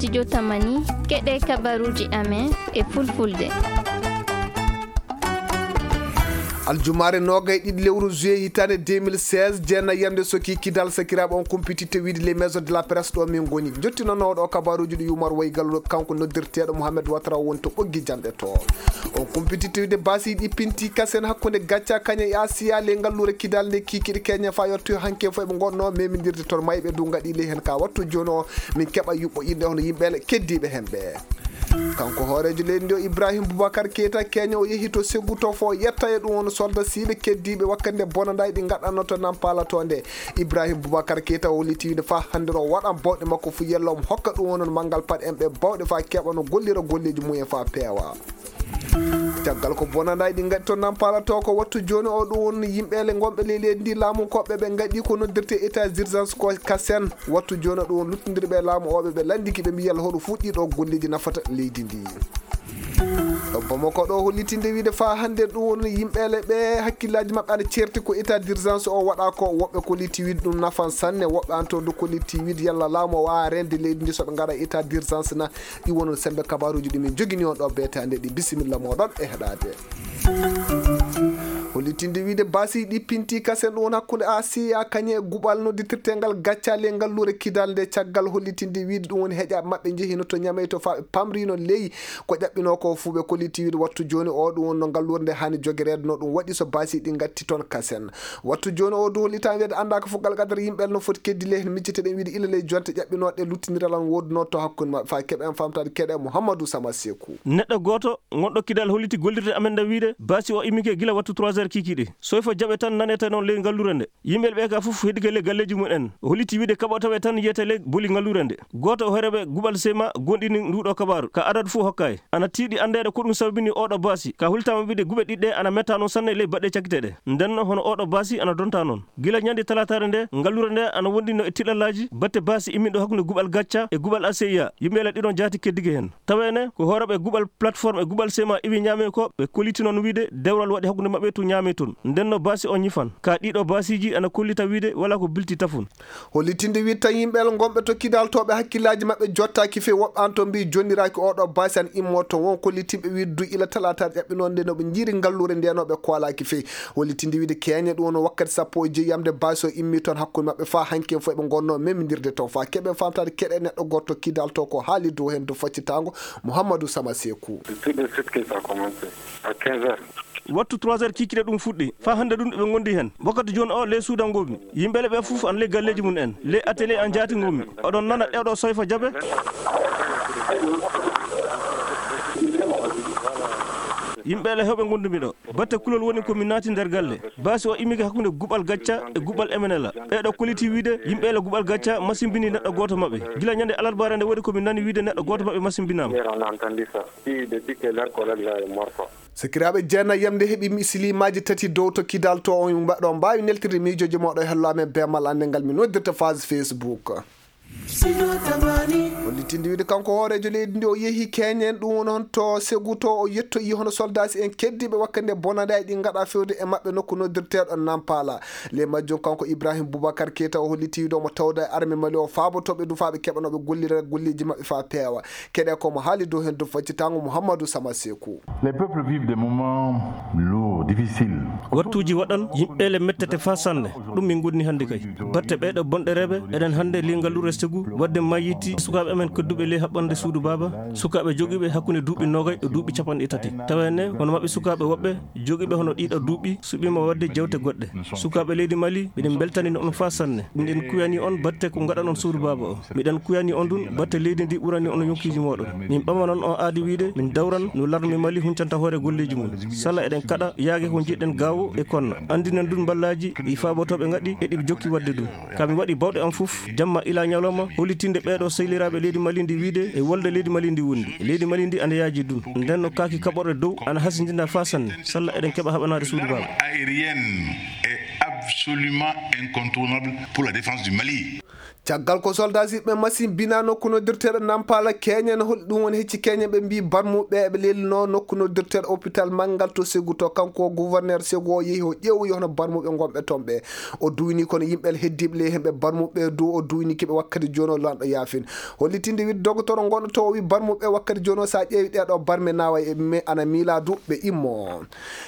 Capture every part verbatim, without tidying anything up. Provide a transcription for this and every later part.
Studio Tamani, keɗe kabaruuji amen e fulfulde. Aljumaare noogay ɗiɗi lewru juillet hitaande deux mille seize, jeenayi yamde soki kidal sakiraaɓe on kumpititte wiide les maisons de la presse ɗo min ngoni. Jottinanooɗo o kabaruuji ɗi Yumar Waygal kanko noddirteeɗo Mohamed Ouattara woni to ɓoggi janɗe to. On kumpititte wiide basi ɗi pinti kasen hakkunde gacca kañe e Asiya le ngalluure kidal nde kikiɗe keñe fa yottu hanke fof ɓe ngonno memindirde toon mayɓe du ngaɗi ley hen ka wattu jooni o min keɓa yuɓɓo inɗe hono yimɓe keddiiɓe hen ɓe. Kanko hooreejo leydi ndi o Ibrahim Boubacar Keita Kenya o yehi to Ségou to fo yetta e ɗum won solda siiɓe keddiiɓe wakkande bonanɗaaji ɗi ngaɗanno to Nampala to nde. Ibrahim Boubacar Keita o holliti winde fa hannde no waɗan bawɗe makko fu yella omo hokka ɗum wonon manngal paɗ en ɓe bawɗe fa keɓa no gollira golleeji mumen fa peewa. Caggal ko bonanɗaaji ɗi ngaɗi to Nampala to ko wattu jooni o ɗum won yimɓe le ngonɓe ley leydi ndi laamu koɓɓe ɓe ngaɗi ko noddirte état d'urgence ko kasen. Wattu jooni ɗum won luttondirɓe e laamu oɓe ɓe lanndiki ɓe mbi yalla hoɗo fuɗɗi ɗo golleeji nafata leydi ndi. Bamako ɗo hollitinde wiide fa hannde ɗum won yimɓeele ɓe hakkillaaji maɓɓe ana ceerti ko état d'urgence o waɗa ko woɓɓe kolliti wiide ɗum nafan sanne woɓɓe an to du kolliti wiide yalla laamu o wawa rende leydi ndi soɓe ngaɗa état d'urgence na. Ɗi wonon sembe kabaruuji ɗi min jogini on ɗo beetaande ɗi bisimilla moɗon e heɗaade. Hollitinde wiide basi ɗi pinti kasen ɗum won hakkunde asiya kañe e guɓal nodditirtengal gaccaali e ngalluure kidal nde caggal hollitinde wiide ɗum woni heƴa maɓɓe njehino to ñamey to fa ɓe pamrino ley ko ƴaɓɓino ko fuu ɓe kolliti wiide wattu jooni o ɗum wonno ngalluure nde haani jogereede no ɗum waɗi so basi ɗi ngatti toon kasen. Wattu jooni o du hollitaani wiide annda ko fof galgadar yimɓe no foti keddi ley heen micciteɗen wiide ila ley jonte ƴaɓɓinooɗe luttindiral an woodunoo to hakkunde maɓɓe fa keɓen famtaade keɗe Mouhamadou Sama Sekou. Neɗɗo gooto ngonɗo kidal holliti gollirde amen nde wiide basi o immike gila wattu trois heures kikiɗe soyfa jaɓe tan nanete noon ley ngalluure nde. Yimɓe ɓe ka fof heddike ley galleeji mum en o holliti wiide kaɓa tawe tan yiyete ley boli ngalluure nde. Gooto o horeeɓe guɓal sema gonɗini nduɗo kabaaru ka adadu fof hokkay ana tiiɗi anndeede ko ɗum sababini oɗo baasi ka hultama wiide guɓe ɗiɗɗe ana metta noon sanne ley baɗɗe cakkite ɗe. Ndenno hono oɗo baasi ana donta noon gila ñande talataare nde ngalluure nde ana wonɗino e tiɗallaaji batte baasi immiɗo hakkunde guɓal gacca e guɓal aseya yimɓe le ɗiɗon jaati keddike heen. Taweene ko hooreeɓe guɓal plateforme e guɓal sema iwi ñaame ko ɓe kolliti noon wiide dewral waɗi hakkunde maɓɓe to ñaame toon ndenno baasi o ñifan ka ɗiɗo baasiiji ana kollita wiide wala ko bilti tafun. Hollitinde wiide tan yimɓe el ngonɓe to kidal to ɓe hakkillaaji maɓɓe jottaaki few woɓɓe an to mbi jonniraaki oɗo baasi an immo to won kollitinɓe wiide du ila talataare ƴaɓɓinoon nde no ɓe njiiri ngalluure nde no ɓe koolaaki few. Hollitinde wiide keeñe ɗum no wakkati sappo e joyi yamde baasi o immi toon hakkunde maɓɓe fa hanki en fof ɓe ngonno memindirde to fa keɓen famtaade keɗe neɗɗo goto kidal to ko haali dow heen dow faccitango Mouhamadou Sama Sekou. C'est tout de suite que ça a commencé, à quinze heures. Wattu trois heures kikiɗe ɗum fuɗɗi fa hannde ɗum eɓe ngondi heen wakkati jooni o ley suuda ngomi yimɓele ɓe fof an ley galleeji mum en ley atelier an jaati ngomi oɗon nana ɗeɗo soyfa jaɓe. Yimɓele hewɓe ngondumi ɗo batte kulol woni ko mi naati nder galle baasi o immike hakkunde guɓal gacca e guɓal emenela ɓeɗo kolliti wiide yimɓele guɓal gacca masimbini neɗɗo goto maɓɓe gila ñande alarbaare nde waɗi ko mi nani wiide neɗɗo goto maɓɓe masimbinama. Hier on a entendu ça. Puis depuis que leur collègue là est mort quoi. Sakiraaɓe jeenayi yamde heɓi misilimaji tati dow to kidal to on mbaɗo mbaawi neltirde miijooji moɗo e hello amen bemal annde ngal mi noddirta phase Facebook. Hollitinde wiide kanko hooreejo leydi ndi o yehi keñen ɗum woni hon to Segu to o yettoyi hono soldasi en keddiiɓe wakkande bonanɗe ɗi ngaɗa fewde e maɓɓe nokku noddirteeɗo Nampala. Ley majjum kanko Ibrahim Boubacar Keita o holliti wiide omo tawda e arme Mali o faabotooɓe dufaaɓe keɓanooɓe gollira golleeji maɓɓe faa peewa. Keɗe ko mo haali dow heen dow faccitango Mouhamadou Sama Sekou. Les peuples vivent des moments lourds, difficiles. Wattuuji waɗan yimɓeele mettete faa sanne. Ɗum min ngoni hannde kay. Batte ɓeeɗo bonɗereeɓe, eɗen hannde ley ngalluure Segu, waɗde mayiiti sukaaɓe amen kedduɓe ley haɓɓande suudu baaba, sukaaɓe jogiiɓe hakkunde duuɓi noogay e duuɓi capanɗe tati. Tawa ne, hono maɓɓe sukaaɓe woɓɓe, jogiiɓe hono ɗiɗo duuɓi, suɓiima waɗde jawte goɗɗe. Sukaaɓe leydi Mali, miɗen mbeltani on faa sanne. Miɗen kuyani on batte ko ngaɗanon suudu baaba o. Miɗen kuyani on dun batte leydi ndi ɓurani on yonkiiji mooɗon. Min ɓamanon on aadi wiide min dawran no larme Mali huncanta hoore golleeji mum. Sala eɗen kaɗa yaage ko njiɗɗen gaawo e konna. Anndinen dun mballaaji ɗi faabotooɓe ngaɗi e ɗi jokki waɗde dun. Ka mi waɗi bawɗe am fof, jamma ila ñalawma, hollitinde ɓeeɗo sehiliraaɓe leydi Mali ndi wiide e wolde leydi Mali ndi wondi. Leydi Mali ndi ana yaaji dun. Nden no kaaki kaɓorɗe dow ana hasindina faa sanne. Salla eɗen keɓa haɓanaade suudu baaba. Aérienne et absolument incontournable pour la défense du Mali. Caggal ko soldasiiɓe machine bina nokku noddirteeɗo Nampala Keñen, holi ɗum woni hecci Keñen, ɓe mbii barmuɓe ɓe lelno nokku noddirteeɗo hôpital manngal to Segu, to kanko gouverneur Segu o yehi o ƴeewoyi hono barmuɓe ngonɓe toon ɓe. O duwini kono yimɓe heddiiɓe ley heen ɓe barmuɓe du o duwini kiɓe wakkati jooni o lanɗo yaafin. Hollitinde wiide dogotoro ngonɗo to o wi barmuɓe wakkati jooni o so a ƴeewi ɗeɗo barme nawa e me ana miila du ɓe immo.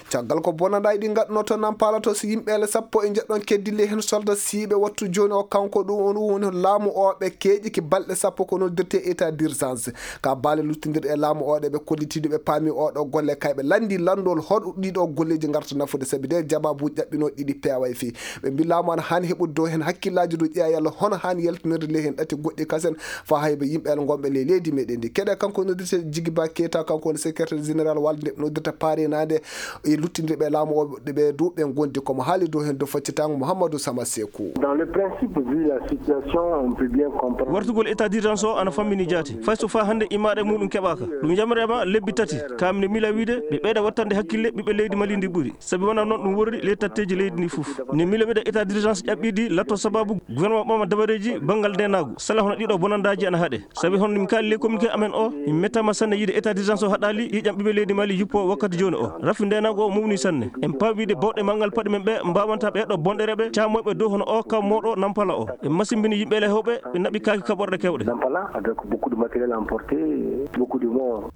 Caggal ko bonanɗaaji ɗi ngaɗnoo to Nampala to, so yimɓe ele sappo e njeɗɗon keddii ley heen soldat siiɓe wattu jooni o, kanko ɗum on woni laamu o ɓe keeƴi ki balɗe sappo ko noddirtee état d'urgence. Ka baale luttindirɗe e laamu o ɗe ɓe kollitiiɗo ɓe paami o ɗo golle kay ɓe lanndi lanndol hoɗo ɗiɗo golleeji ngarta nafude sabi de jababuuji ɗaɓɓinooɗi ɗiɗi peeway fii. Ɓe mbi laamu ana haani heɓude dow heen hakkillaaji dow ƴeewa yalla hono haani yaltinirde ley heen ɗati goɗɗi kasen faa hay ɓe yimɓe ele ngonɓe ley leydi meɗen ndi. Keɗe kanko noddirtee Jigiba Keita, kanko woni secrétaire général walde nde ɓe noddirta paarinaade e luttindirɓe laamu o ɓe du ɓe ngondi komo haali dow heen dow faccitango Mouhamadou Sama Sekou. Dans le principe, vu la situation, on peut bien comprendre. Wartugol état d'urgence o ana fammini jaati. Fay so faa hannde imaɗe muɗum keɓaaka. Ɗum yamrema lebbi tati. Kam ne mila wiide ɓe ɓeyda wattande hakkille ɓiɓɓe leydi Mali ndi ɓuri. Sabi wona noon ɗum worri ley tatteeji leydi ndi fof. Ne mila wiide état d'urgence ƴaɓɓiɗi latto sababu gouvernement ɓama dabareeji banngal ndenaagu. Sala hono ɗiɗo bonandaaji ana haɗe. Sabi hono min kaali ley communiqué amen o, min mettama sanne yiide état d'urgence o haɗaali ƴiiƴam ɓiɓɓe leydi Mali yuppo wakkati jooni o. Rafi ndenaagu o mawni sanne. En pawi wiide bawɗe manngal paɗe men ɓe mbawanta ɓe ɗo bonɗereɓe camoyɓe dow hono o kaw mawɗo Nampala o. Ɓe masimbini yimɓe ele hewɓe, ɓe naɓi kaaki kaɓorɗe kewɗe. Nampala, avec beaucoup de matériel emporté, beaucoup de morts.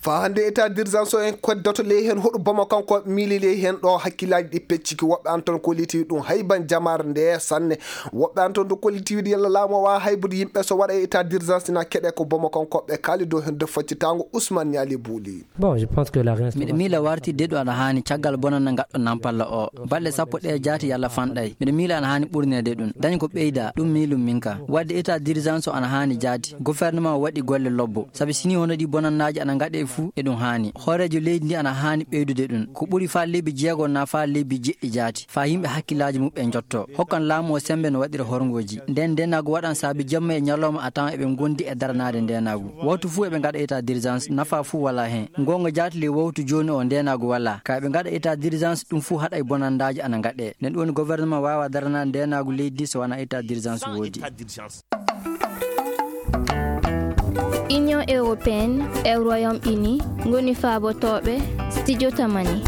Faa hannde état d'urgence o en koddoto ley heen hoɗo Bamako kanko miili ley heen ɗo hakkillaaji ɗi pecciki woɓɓe an toon kollitiiɗi ɗum hayban jamaare nde sanne. Woɓɓe an toon to kollitiiɗi yalla laamu o waawa haybude yimɓe so waɗa état d'urgence na keɗe ko Bamako kanko ɓe kaali dow heen de faccitaango Ousmane Niali Bouli. Bon, je pense que la réinstauration. Miɗo miila wartirde ɗo ana haani caggal bonannde ngaɗɗo Nampalla o. Balɗe sappo ɗe jaati yalla fanɗay. Miɗo miila ana haani ɓurneede ɗum. Dañ ko ɓeyda, ɗum miilum min ka. Waɗde état d'urgence o ana haani jaati. Gouvernement o waɗi golle lobbo. Sabi sini hono ɗi bonannaaji ana ngaɗe fuu, e ɗum haani. Hooreejo leydi ndi ana haani ɓeydude ɗum. Ko ɓuri faa lebbi jeego na faa lebbi jeɗɗi jaati. Faa yimɓe hakkillaaji muɓɓe njotto. Hokkan laamu o semmbe no waɗira horngooji. Nden ndenaagu waɗan saabi jamma e ñalawma a tawan eɓe ngondi e daranaade ndenaagu. Waktu fuu eɓe ngaɗa état d'urgence, nafa fuu walaa heen. Ngoonga jaati ley waktu jooni o ndenaagu walaa. Ka eɓe ngaɗa état d'urgence, ɗum fuu haɗay bonandaaji ana ngaɗe. Nden ɗum woni gouvernement waawa daranaade ndenaagu leydi ndi so wanaa état d'urgence woodi. Union européenne e Royaume-Uni ngoni faabotooɓe studio Tamani.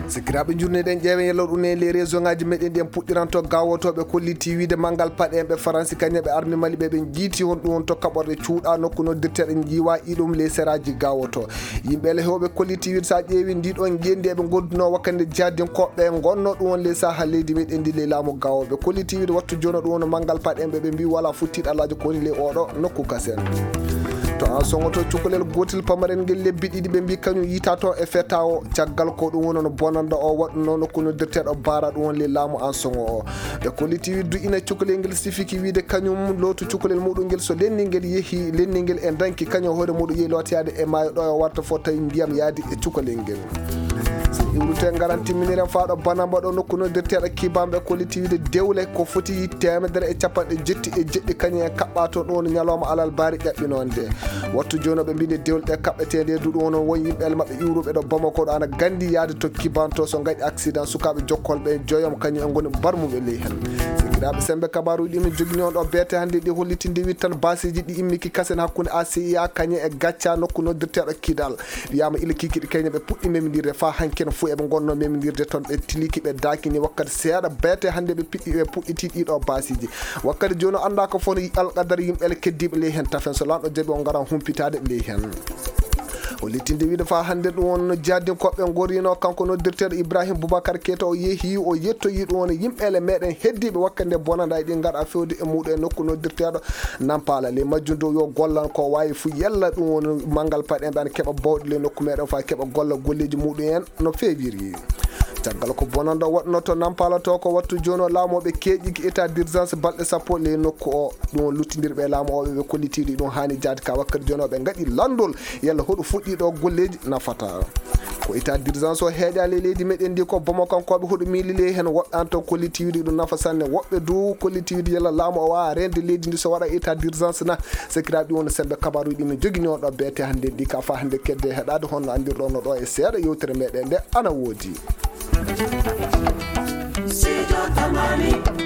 Sikiraaɓe, njurneɗen ƴeewen yalla ɗum e les région ngaji meɗen ɗi en puɗɗiranto gawotooɓe kolliti wiide manngal paɗe en ɓe Faransi kañum ɓe armi Mali ɓe ɓe jiiti hon ɗum on to kaɓorɗe cuuɗa nokku noddirteɗe jiwa iɗum les seraji gawoto. Yimɓe ele hewɓe kolliti wiide sa ƴeewi ndi ɗon ngendi eɓe gonduno wakkande jihadinkoɓe gonno ɗum on les saha leydi meɗen ndi les laamu gawoɓe kolliti wiide wattu jono ɗum on manngal paɗe en ɓe ɓe mbi wala futtiɗo Alhaji koni les oɗo nokku kasen. To an sogoto cukalel gotel pamarel ngel lebbi ɗiɗi ɓe mbi kañum yita toon e feta o caggal ko ɗum woni no bonanda o waɗuno nokku noddirteɗo bara ɗum woni laamu an sogo o. Ɓe kolliti widdu ina cukalel ngel sifiki wiide kañum lootu cukalel muɗum ngel so lenni ngel yehi lenni ngel e danki kañum hoore muɗum yehi lootiyade e maayo ɗo o warta fof tawi ndiyam yaadi e cukalel ngel. So iwrute ngaran timminiren faa ɗo banamba ɗo nokku noddirteɗo kibanɓe kolliti wiide dewle ko foti temedere e capanɗe jetti e jeɗɗi kañum en kaɓɓa toon ɗum woni ñalawma alal baari ƴaɓɓinonde. Wattu jooni ɓe mbiɗe dewle ɗe kaɓɓeteeɗe e duɗu on won yimɓe ele maɓɓe iwruɓe ɗo Bamako ɗo ana gandi yaade to kibanto so ngaɗi accident sukaaɓe jokkol ɓe joyom kañum en ngoni barmuɓe ley heen. Sikiraaɓe sembe kabaruji ɗi min jogini on ɗo beete hannde ɗi hollitinde wittan basiji ɗi immiki kasen hakkunde A C I A kañum e gacca nokku noddirteɗo Kidal. Wiyama ila kikiɗe keñe ɓe puɗɗi memindirde faa hanki no fof eɓe gonno memindirde toon ɓe tiliki ɓe dakini wakkati seeɗa beete hannde ɓe piɗɗi ɓe puɗɗiti ɗiɗo basiji. Wakkati jooni o annda ko fof no alqadar yimɓe ele keddiiɓe ley heen tafen so lanɗo jaɓi o ngara humpitaade ley heen. O littinde wiide faa hannde ɗum won no jaaddinkoɓe gorino kanko noddirteeɗo Ibrahim Boubacar Keita o yehi o yettoyi ɗum won yimɓe ele meɗen heddiiɓe wakkati nde bonanda e ɗi ngara fewde e muɗum e nokku noddirteeɗo Nampala ley majjum dow yo gollan ko waawi fuu yalla ɗum woni manngal paɗe ɓe ana keɓa bawɗe ley nokku meɗen faa keɓa golla golleeji muɗum en no feewiri. Caggal ko bonanda waɗno to Nampala to ko wattu jooni o laamoɓe keeƴiki état d'urgence balɗe sappo ley nokku o ɗum o luttindirɓe e laamu o ɓe kollitiiɗi ɗum haani jaade ka wakkati jooni o ɓe ngaɗi lanndol yalla hoɗo fuɗɗi ɗo golleeji nafata. Ko état d'urgence o heeƴaali e leydi meɗen ndi ko bomo kankoɓe hoɗo miili ley heen woɓɓe an to kollitiiɗi ɗum nafa sanne woɓɓe du kollitiiɗi yalla laamu o waawa rende leydi ndi so waɗa état d'urgence na. Sekiraaɓe ɗi woni sembe kabaruji ɗi min jogini on ɗo beete hannde ndi ka fa hannde kedde heɗaade honno anndirɗo no ɗo e seeɗa yewtere meɗen nde ana woodi. Sijo Tamani.